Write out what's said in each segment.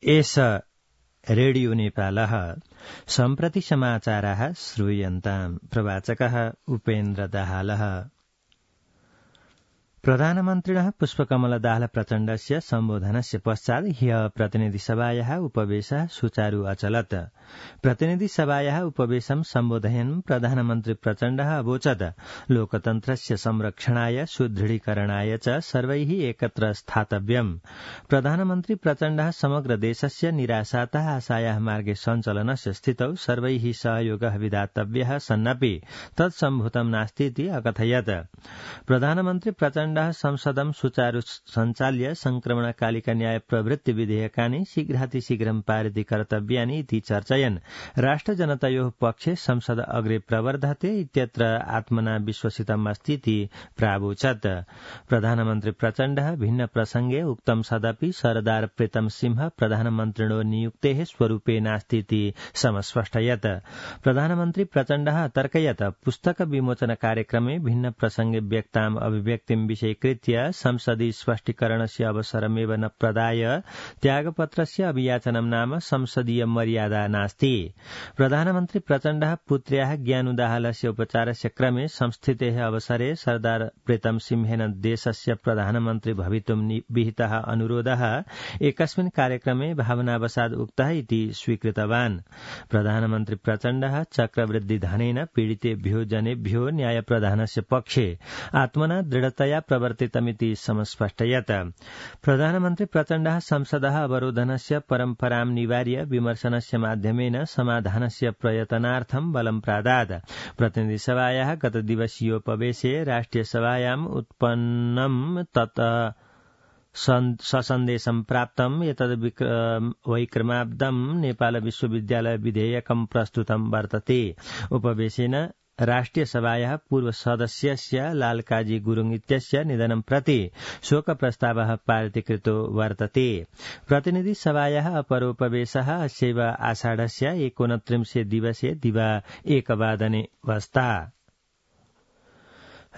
एष रेडियो नेपालः सम्प्रति समाचाराः श्रूयन्ताम्। प्रवाचकः उपेन्द्र दाहालः। प्रधानमन्त्रिणः पुष्पकमल दाहाल प्रचण्डस्य सम्बोधनस्य पश्चात् ह्यः प्रतिनिधिसभायाः उपवेशः सुचारू अचलत्। प्रतिनिधिसभायाः उपवेशं सम्बोधयन् प्रधानमन्त्री प्रचण्डः अवोचत् लोकतन्त्रस्य संरक्षणाय सुदृढीकरणाय च सर्वैः एकत्र स्थातव्यम्। प्रधानमन्त्री प्रचण्डः समग्र देशस्य निराशातः आशायाः मार्गे सञ्चलनस्य स्थितौ सर्वैः सहयोगः विधातव्यः सन्नपि तत्सम्भूतं नास्तीति अकथयत्। प्रधानमन्त्री प्रचण्ड संसदं सुचारू सञ्चाल्य संक्रमणकालिक न्याय प्रवृत्ति विधेयकानि शीघ्रातिशीघ्रं पारितीकर्तव्यानि इति चर्चयन् राष्ट्रजनतयोः पक्षे संसद अग्रे प्रवर्धते इत्यत्र आत्मना विश्वसितमस्तीति प्रावोचत्। प्रधानमन्त्री प्रचण्डः भिन्न प्रसंगे उक्तं सदपि सरदार प्रीतम सिंह प्रधानमन्त्रिणो नियुक्तेः स्वरूपे नास्तीति समस्पष्टयत्। प्रधानमन्त्री प्रचण्डः अतर्कयत् पुस्तक विमोचन कार्यक्रमे भिन्न प्रसंगे व्यक्ताम् अभिव्यक्तिं विषयीकृत्य संसदि स्पष्टीकरणस्य अवसरमेव न प्रदाय त्यागपत्रस्य अभियाचनं नाम संसदीय मर्यादा नास्ति। प्रधानमन्त्री प्रचण्डः पुत्र्याः ज्ञानु दाहालस्य उपचारस्य क्रमे संस्थितेः अवसरे सरदार प्रीतम सिंहेन देशस्य प्रधानमन्त्री भवितुं विहितः अनुरोधः एकस्मिन् कार्यक्रमे भावनावशात् उक्तः इति स्वीकृतवान्। प्रधानमन्त्री प्रचण्डः चक्रवृद्धि धनेन पीडितेभ्यो जनेभ्यो न्यायप्रदानस्य पक्षे आत्मना दृढतया प्रवर्तितमिति समस्पष्टयत्। प्रधानमन्त्री प्रचण्डः संसदः अवरोधनस्य परम्परां निवार्य विमर्शनस्य माध्यमेन समाधानस्य प्रयत्नार्थं बलं प्रादात्। प्रतिनिधिसभायाः गतदिवसीयोपवेशे राष्ट्रियसभायाम् उत्पन्नं तत् ससन्देशं प्राप्तम् एतद् वैक्रमाब्दं नेपाल विश्वविद्यालय विधेयकं प्रस्तुतं वर्तते। उपवेशेन राष्ट्रियसभायाः पूर्व सदस्यस्य लालकाजी गुरुङ इत्यस्य निधनं प्रति शोकप्रस्तावः पारितीकृतो वर्तते। प्रतिनिधिसभायाः अपरोपवेशः अस्यैव आषाढस्य 29 दिवसे दिवा 1 वादने वस्ता।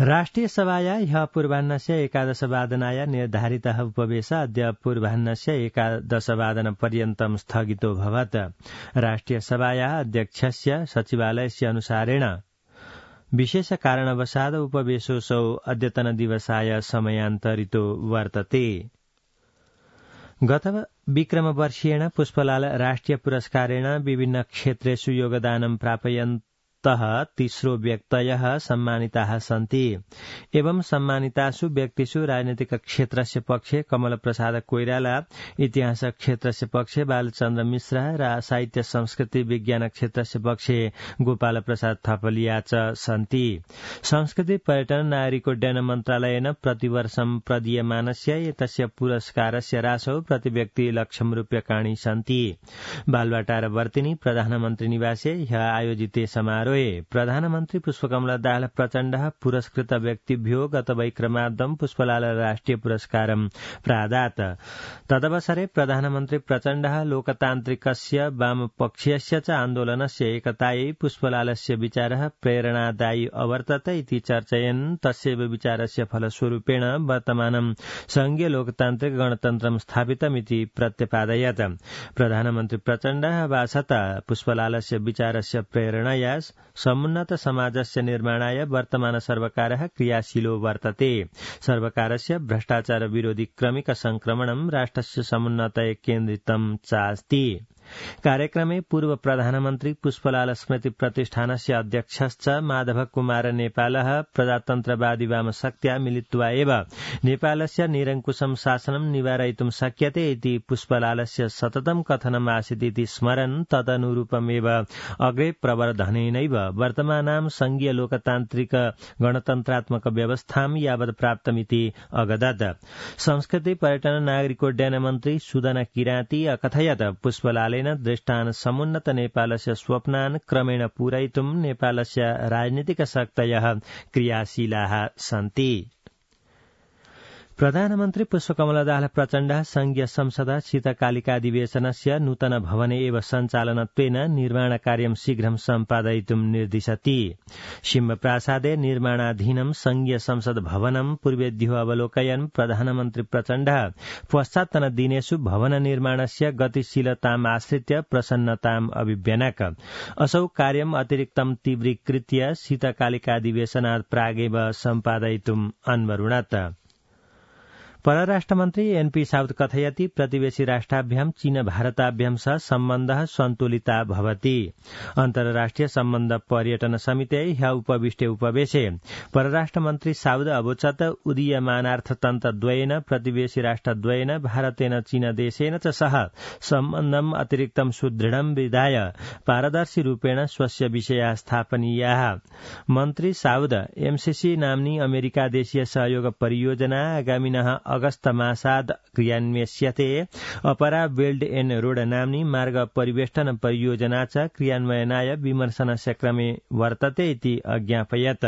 राष्ट्रियसभाया ह्यः पूर्वाह्नस्य 11 वादनाय निर्धारितः उपवेश अद्य पूर्वाह्नस्य 11 वादनपर्यन्तं स्थगितो भवत्। राष्ट्रियसभायाः अध्यक्षस्य सचिवालयस्य अनुसारेण विशेष कारणवशात् उपवेशोऽसौ अद्यतन दिवसाय समयान्तरितो वर्तते। गत विक्रमवर्षीयेण पुष्पलाल राष्ट्रिय पुरस्कारेण विभिन्न क्षेत्रेषु योगदानं प्रापयन्तः 30 व्यक्तयः सम्मानिताः सन्ति। एवं सम्मानितासु व्यक्तिषु राजनीतिक क्षेत्रस्य पक्षे कमल प्रसाद कोइराला, इतिहास क्षेत्रस्य पक्षे बालचन्द्र मिश्र र साहित्य संस्कृति विज्ञान क्षेत्रस्य पक्षे गोपाल प्रसाद थपलिया च सन्ति। संस्कृति पर्यटन नागरिक उड्डयन मन्त्रालयेन प्रतिवर्षं प्रदीयमानस्य एतस्य पुरस्कारस्य राशौ प्रतिव्यक्ति ₹1,00,000 सन्ति। बालवाटार वर्तिनी प्रधानमन्त्री निवासे ह्यः आयोजिते समारोहे प्रधानमन्त्री पुष्पकमल दाहाल प्रचण्डः पुरस्कृत व्यक्तिभ्यो गत वैक्रमाब्दं पुष्पलाल राष्ट्रिय पुरस्कारं प्रादात्। तदवसरे प्रधानमन्त्री प्रचण्डः लोकतान्त्रिकस्य वामपक्षीयस्य च आन्दोलनस्य एकतायै पुष्पलालस्य विचारः प्रेरणादायी अवर्तत इति चर्चयन् तस्यैव विचारस्य फलस्वरूपेण वर्तमानं संघीय लोकतान्त्रिक गणतन्त्रं स्थापितमिति प्रत्यपादयत्। प्रधानमन्त्री प्रचण्डः भाषत पुष्पलालस्य विचारस्य प्रेरणया समुन्नत समाजस्य निर्माणाय वर्तमान सर्वकारः क्रियाशीलो वर्तते। सर्वकारस्य भ्रष्टाचार विरोधी क्रमिक संक्रमणं राष्ट्रस्य समुन्नतये केन्द्रितं चास्ति। कार्यक्रमे पूर्व प्रधानमन्त्री पुष्पलाल स्मृति प्रतिष्ठानस्य अध्यक्षश्च माधव कुमार नेपालः प्रजातन्त्रवादी वामशक्त्या मिलित्वा एव नेपालस्य निरङ्कुशं शासनं निवारयितुं शक्यते इति पुष्पलालस्य सततं कथनम् आसीत् इति स्मरन् तदनुरूपमेव अग्रे प्रवर्धनेनैव वर्तमानां संघीय लोकतान्त्रिक गणतन्त्रात्मक व्यवस्थां यावत् प्राप्तमिति अगदत्। संस्कृति पर्यटन नागरिकोड्डयन मन्त्री सुदन किराती अकथयत् पुष्पलाल दृष्टान् समुन्नत नेपालस्य स्वप्नान् क्रमेण पूरयितुं नेपालस्य राजनीतिक शक्तयः क्रियाशीलाः सन्ति। प्रधानमन्त्री पुष्पकमल दाहाल प्रचण्ड संघीय संसद शीतकालिकाधिवेशनस्य नूतन भवने एव सञ्चालनत्वेन निर्माणकार्यं शीघ्रं सम्पादयितुं निर्दिशति। सिंहप्रासादे निर्माणाधीनं संघीय संसद भवनं पूर्वेद्युः अवलोकयन् प्रधानमन्त्री प्रचण्ड पश्चात्तन दिनेषु भवन निर्माणस्य गतिशीलतामाश्रित्य प्रसन्नताम् अभिव्यनक। असौ कार्यम् अतिरिक्तं तीव्रीकृत्य शीतकालिकाधिवेशनात् प्रागेव सम्पादयितुम् अन्वरुणत। परराष्ट्रमन्त्री एनपी साउथ कथयति प्रतिवेशी राष्ट्राभ्यां चीन भारताभ्यां सह सम्बन्धः सन्तुलिता भवति। अन्तर्राष्ट्रिय सम्बन्ध पर्यटन समिते ह्य उपविष्टे उपवेशे परराष्ट्रमन्त्री साउद अवोचत उदीयमानार्थतन्त्रद्वयेन प्रतिवेशी राष्ट्रद्वयेन भारतेन चीन देशेन च सह सम्बन्धम् अतिरिक्तं सुदृढं विधाय पारदर्शी रूपेण स्वस्य विषयाः स्थापनीयाः। मन्त्री साउद एमसीसी नाम्नी अमेरिका देशीय सहयोग परियोजना आगामिनः अगस्त मासाद् क्रियान्वयस्यते। अपरा बेल्ट एण्ड रोड नाम्नी मार्ग परिवेष्टन परियोजना च क्रियान्वयनाय विमर्शनस्य क्रमे वर्तते इति अज्ञापयत्।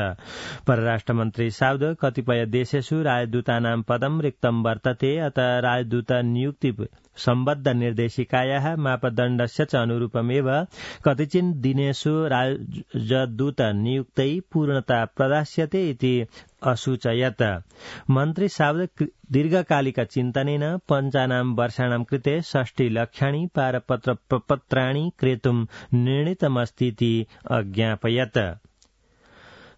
परराष्ट्रमन्त्री साउद कतिपय देशेषु राजदूतानां पदं रिक्तं वर्तते, अतः राजदूत नियुक्ति सम्बद्ध निर्देशिकायाः मापदण्डस्य च अनुरूपमेव कतिचिन् दिनेषु राजदूत नियुक्तै पूर्णता प्रदास्यते इति असूचयत्। मन्त्री साउद दीर्घकालिक चिन्तनेन 55 वर्षाणां कृते 60 लक्षाणि पारपत्र प्रपत्राणि क्रेतुं निर्णीतमस्तीति अज्ञापयत्।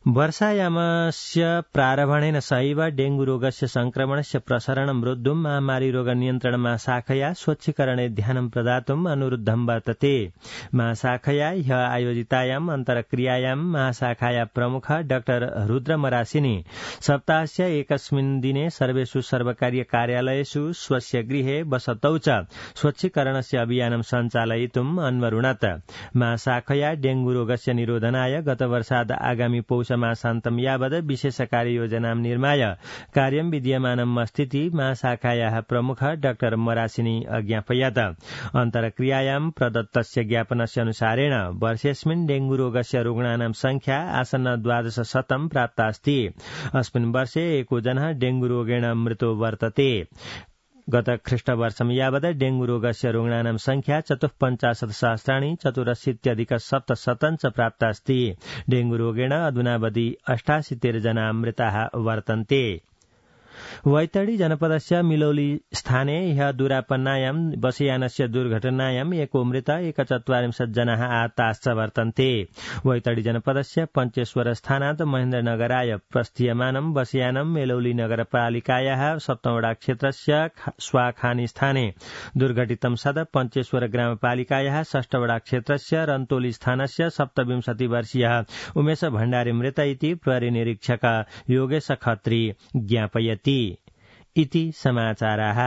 वर्षायामस्य प्रारम्भेन सहैव डेंगू रोगस्य संक्रमणस्य प्रसारणं रोद्धुं महामारीरोग नियन्त्रण महाशाखया स्वच्छीकरणे ध्यानं प्रदातुम् अनुरुद्धं वर्तते। महाशाखया ह्य आयोजितायाम् अन्तर्क्रियायां महाशाखाया प्रमुख डाक्टर रुद्र मरासिनी सप्ताहस्य एकस्मिन् दिने सर्वेषु सर्वकारीय कार्यालयेषु स्वस्य गृहे वसतौ च स्वच्छीकरणस्य अभियानं सञ्चालयितुम् अन्वरुणत। महाशाखया डेंगू रोगस्य निरोधनाय गतवर्षाद् आगामि पौष मासान्तं यावद् विशेष कार्ययोजनां निर्माय कार्यं विद्यमानम् अस्तीति महाशाखायाः प्रमुख डाक्टर मरासिनी अज्ञापयत्। अन्तर्क्रियायां प्रदत्तस्य ज्ञापनस्य अनुसारेण वर्षेऽस्मिन् डेंगू रोगस्य रुग्णानां संख्या आसन्न 1200 प्राप्ता अस्ति। अस्मिन् वर्षे 1 जनः डेंगू रोगेण मृतो वर्तते। गत ख्रीष्टवर्षं यावद् डेंगू रोगस्य रुग्णानां संख्या 54,000 84,700 च प्राप्ता अस्ति। डेंगू रोगेण अधुनावधि 78 जना मृताः वर्तन्ते। वैतडी जनपदस्य मिलौली स्थाने ह्य दुरापन्नायां बसयानस्य दुर्घटनायां एको मृत 41 जनाः आहताश्च वर्तन्ते। वैतडी जनपदस्य पञ्चेश्वर स्थानात् महेन्द्रनगराय प्रस्थीयमानं बसयानं मेलौली नगरपालिकायाः सप्तमवडा क्षेत्रस्य स्वाखानी स्थाने दुर्घटितं सद पञ्चेश्वर ग्रामपालिकायाः षष्ठवडा क्षेत्रस्य रन्तोली स्थानस्य 27 वर्षीयः उमेश भण्डारी मृत इति प्रहरी निरीक्षक योगेश खत्री ज्ञापयति। इति समाचाराः।